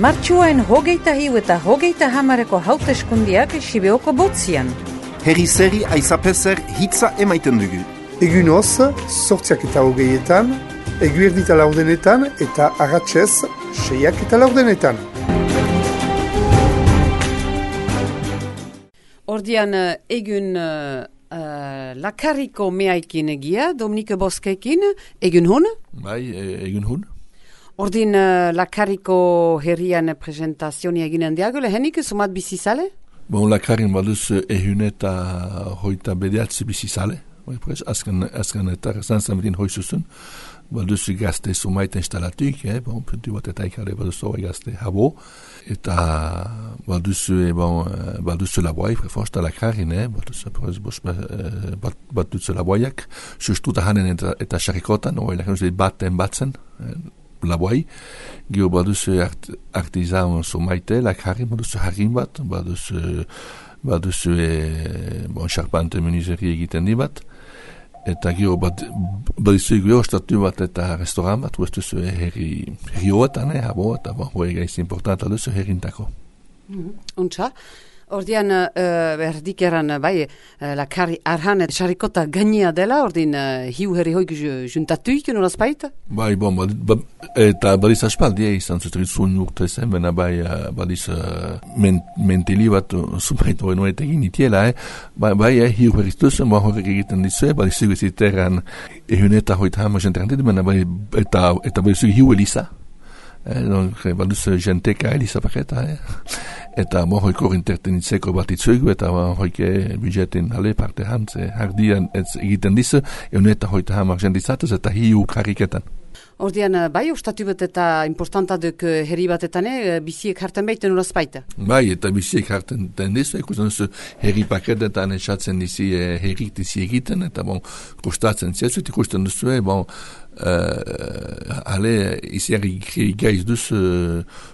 Martxuain 21 eta 30 hauteskundiak Sibeoko botzian. Herri-zeri aizapezer hitza emaiten dugu. Egun hoz, 8:20, eguerdita 4 eta arratsez 6:4. Ordian egun lakarriko meaikin egia, Dominike Boskekin, egun hun? Bai, egun hun. Ordin lakarriko herrian presentazioa eginen diago, lehenik sumat bizizale? Bon, lakarrin baduz ehun eta hoita bederatzi bizizale. Azken eta zanzametin hoizuzun. Baduz gazte sumaita instalatuik, puntu bat eta ikare baduz hori gazte habo. Eta baduz laboai, prefonsta lakarrin, baduz laboaiak. Sustuta hanen eta xarikotan, hori lakarrin baten batzen, laboai. Gio baduz artizan sumaite, lakarrin, baduz harrin bat, baduz charpante menuzeri egiten di bat. Eta gero badizu gero statu bat eta restaurant bat, huestuz herri hoetan, habo, eta hori gaiz importanta duzu herrintako. Untxa, ordian berdik eran, bai, lakarri arhan eta xarikota gainia dela, ordin hiu herri hoik juntatuik, nolaz baita? Bai, eta badiz aspaldi izan zutrit zuen urte zen, bena bai, badiz mentili bat zumait hori noet egin itiela, bai, hiu herri duzen, horrek egiten dizue, badiz ziterran ehun eta hoita hama jenterantit, bena bai, eta badiz hiu elisa. Baduz jenteka elisa paketa, eta hoiko intertenitzeko bat itzuegu, eta hoike budjetin hale parte hantze hardian egiten dizu, egun eta hoita hamar jendizatuz, eta hiu kariketan. Ordian, bai, ustatu bat eta importanta duk herri batetan, biziek hartan baiten uraz baita? Bai, eta biziek hartan dizu, ikusten duzu herri paketetan esatzen dizi herrik dizi egiten, eta kostatzen ziazut, ikusten duzu, ale iziarri gaiz duz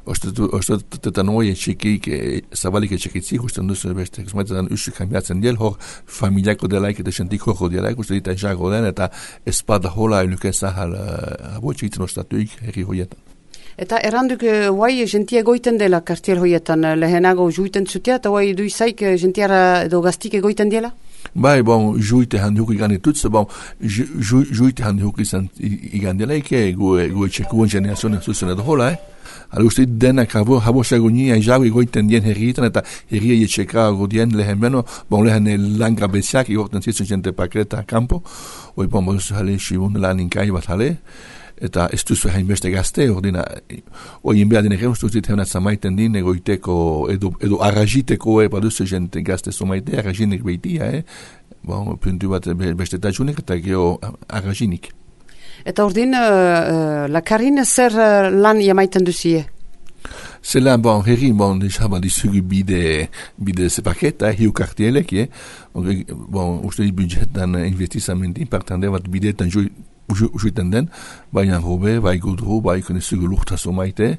ostatetan oien txekik zabalik etxekitzi ikusten duz beste zumaitetan usuk kambiatzen diel hor familiako delaik eta sentik horro delaik uste dita jago den eta espada hola eluke zahal abo txekitzen ostatuik herri hoietan. Eta erranduk guai jentia goiten dela kartier hoietan lehenago juiten zutea eta guai duizaik jentiara edo gaztik egoiten dela? Bai, juite handhuk igan ditutze, juite handhuk izan igan delaik, gu etxekuen generazioen zuzen edo hola, Hala uste denak habo sagunia jago egoiten dien herrietan eta herria etxekago dien lehen beno, lehen lan grabeziak igorten zitzen jente pakreta kampo, hoi boduz hale xibun lan inkai bat hale, eta ez duzu hainbeste gazte, hori inbea dine gero, ustuzit heunat zamaiten din, egoiteko, edo arrajiteko, baduzu jente gazte zomaite, arrajinik behitia, puntu bat bestetatxunik, eta gero arrajinik. Eta ordin, lakarrin zer lan jamaiten duzie? Zelan, herri, dizugu bide zepaketa, hiu kartielek, uste budgetan investizamentin, partande bat bideetan juiten den, baina hobe, bai gudru, bai konezugu lurtazo maite,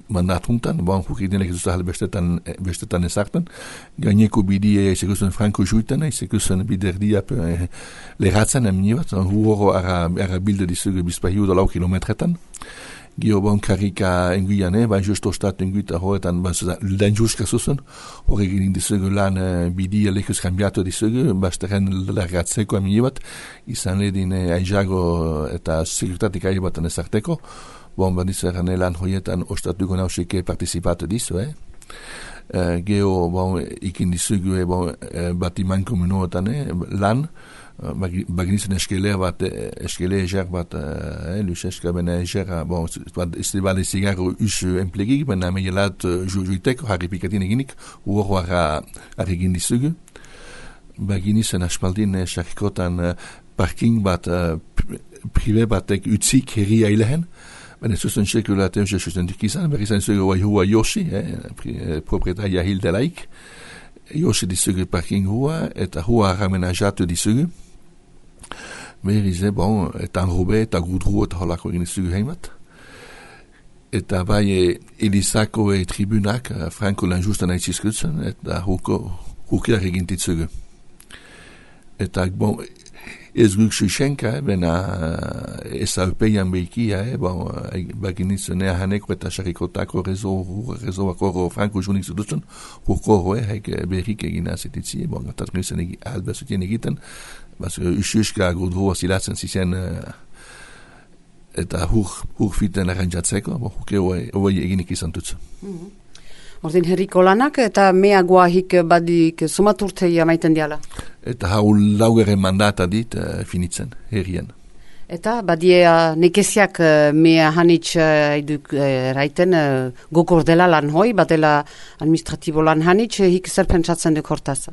mandatuntan, hukik ez duzahal bestetan ezartan, gaineko bidie ezekusen franko juiten, ezekusen biderdia leratzen emni bat, huoro ara bilde dizugu bizpahiu da lau kilometretan, gio karika enguian, bai justo ostat enguita horretan, den juska zuzen, horrek egin dizugu lan bidie lekuz kambiatu dizugu, basteren leratzeko emni bat, izan ledin aizago eta sekurtatik ari batan ezarteko, badizaren lan horietan ostatuko nausike participatu dizu, Geo, ikin dizugu batiman komunoetan lan, baginizen eskelea bat, eskelea eger bat, luxeska bena egera, ez bale zigarro usu emplegik, bena meielat juiteko, harri pikatin eginik, uoro egin dizugu. Baginizen aspaldin xarikotan parking bat, prive batek utzik herria ilehen, ben ez zuzen txekulaten zuzentik izan, berri izan zugu hua Yoshi, proprietaria hildelaik, Yoshi dizugu parking hua, eta hua ramenajatu dizugu, berri ze, eta enrobe, eta gudru, eta holako egin dizugu heimat, eta bai Elisako tribunak, Franko lanjustan aitzizkutzen, eta hukiak egin ditzugu. Eta, ez guk susenka, bena ez aupeian behikia, baginitzen haneko eta sarikotako rezoako franko junik zudutzen, hurko haik berrik egin azititzi, gatatunitzen albazutien egiten, ususka gudroa zilatzen zizen eta hur fiten arrantzatzeko, huke hoi eginik izan dutzen. Ordin herriko lanak eta meagoahik badik sumaturtei amaiten diala? Eta hau laugeren mandata dit finitzen, herrien. Eta badie nekeziak mea hanitz iduk raiten gokor dela lan hoi, badela administratibo lan hanitz, hik zer pentsatzen duk hortaz?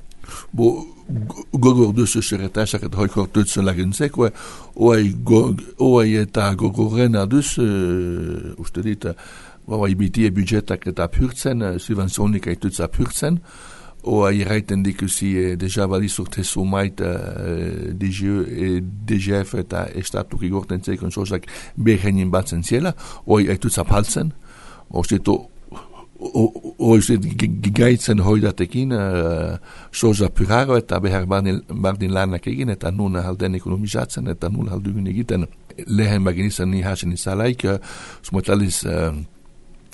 Gogor duzu zerretasak eta hoikor dutzen lagintzek, oai eta gogorrena duz, uste dit, bitie budgetak eta apurtzen, subvenzionik aitutz apurtzen, oai raiten dikusi deja balizurte sumait DGF eta estatuk igorten zeikon sozak behenin batzen ziela, oai aitutz apaltzen, gigaitzen hoidatekin soza puraro eta behar bardin lanak egin eta nun halden ekonomizatzen eta nun haldugun egiten lehen baginizan ni hasen izalaik smotaliz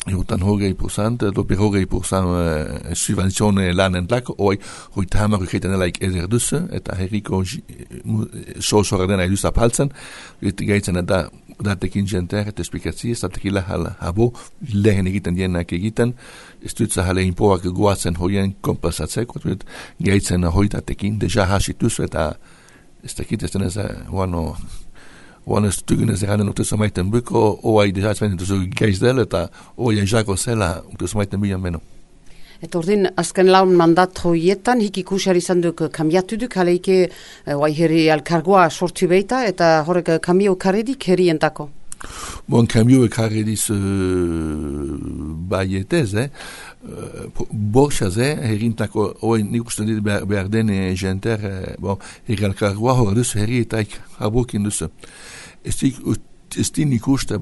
jutan hogei %, dopi hogei % subvenzione lanen lak, hoi tahamar uketen laik ezer dusse eta herriko soza ordena eduz apaltzen, gaitzen eta datekin jenter eta esplikatzi, ez datekila habo lehen egiten dienak egiten, ez dutza hale inpoak guatzen hoien kompensatzeko, gaitzen hoi datekin, deja hasituz eta ez dakit ez denez Oan ez dugun ez eranen utuz amaiten buko, oai deja ezbenen duzu gaizdel eta oai jako zela utuz amaiten bilan beno. Eta ordin, azken laun mandat hoietan, hik ikusiar izan duk kambiatu duk, haleike oai herri alkargoa sortu beita, eta horrek kambio karredik herrientako? Kambio karrediz baietez, borxaz, herrientako, oai nik uste dit behar den jenter, herri alkargoa hor duzu herrietaik habokin duzu. Ez din ikuste,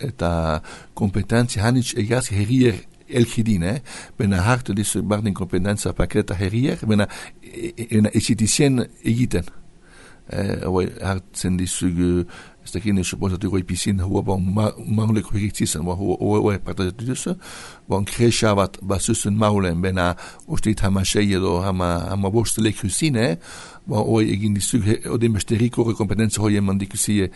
eta kompetentzia hanitz egaz herrier elkidin, bena hartu dizu bardin kompetentzia paketa herrier, bena ezitizien egiten. Hartzen dizu ez dakin ez supozatu goi pisin hua mauleko hiritzizan, hua partazatu duzu, kresha bat basusun maulen, bena ustit hamasei edo hama bostelek husine, hoi egin dizu, odin beste rikore kompetentzia hoi eman dikusi,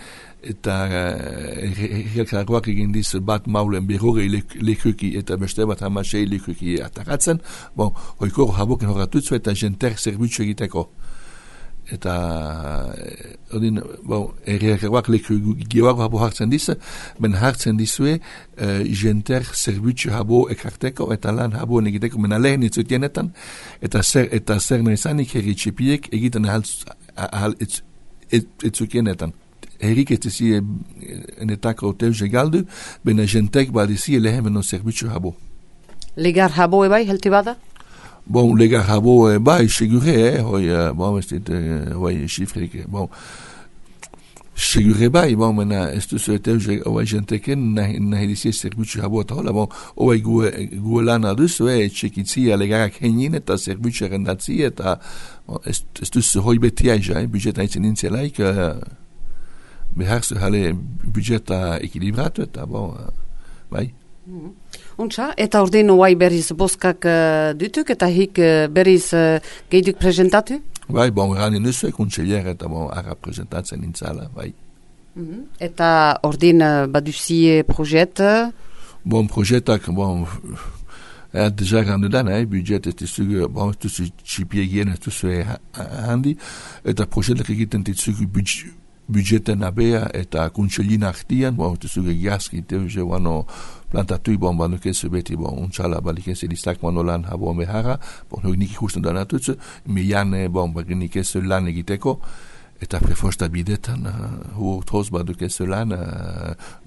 eta herrialkargoak egin dizu bat maulen berrogei lekuki eta beste bat hamasei lekuki ataratzen, hoi koro haboken horatutzu eta jenter zerbitzu egiteko. Eta odin herrialkargoak leku geoago habo hartzen dizu, ben hartzen dizue jenter zerbitzu habo ekarteko eta lan habo egiteko, mena lehen itzutienetan, eta zer nahizanik herri txipiek egiten ahal itzukienetan. Herrik ez dizi enetako teuze galdu, bena jentek badizi lehen beno zerbitzu habo. Legar habo ebai, helti bada? Legar habo bai, segure, hoi xifrik, segure bai, mena ez duzu eteuze hoi jenteken nahi dizi zerbitzu habo eta hola, hoi gue lan aduzu, txekitzia legarak henin eta zerbitzu erendatzi eta ez duzu hoi betiaja, budget haitzen nintzelaik, beharzu hale budgeta ekilibratu eta bai. Untxa, eta ordin oai berriz boskak dutuk eta hik berriz geiduk presentatu? Bai, rani nuzu kontselier eta ara presentatzen nintzala, bai. Eta ordin baduzie projet? Projetak, deja randu dan, budget ez dizugu, ez duzu txipiegien, ez duzu handi, eta projetak egiten dizugu budgeten abea eta kuntselin artian, ez duzugu gaski, teuze plantatui banukezu beti, untxala balikezu listak lan habo behara, nik ikusten danatutzu, miane baginikezu lan egiteko, eta prefosta bidetan, hurtoz badukezu lan,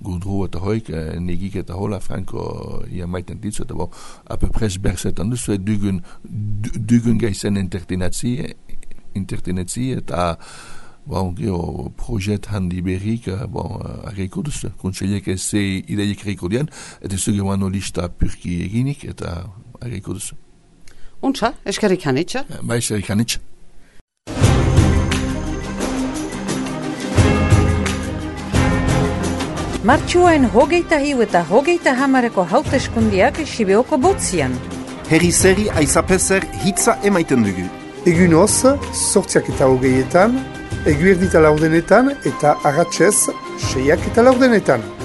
gudru eta hoik, negik eta hola, franko maiten ditzu, eta apepres bersetan duzu, dugun gaizen intertenetzi, eta projet handi berrik, arreiko duzu. Kontseliek ez ideiek arreiko dian, eta zuge lista purki eginik, eta arreiko duzu. Untxa, eskerrik hanitza? Bai, eskerrik hanitza. Martxuain 21 eta 30 hauteskundiak Sibeoko botzian. Herri zeri aizapezer hitza emaiten dugu. Egunoz, 8:20, eguerdita 4 eta arratsez 6:40.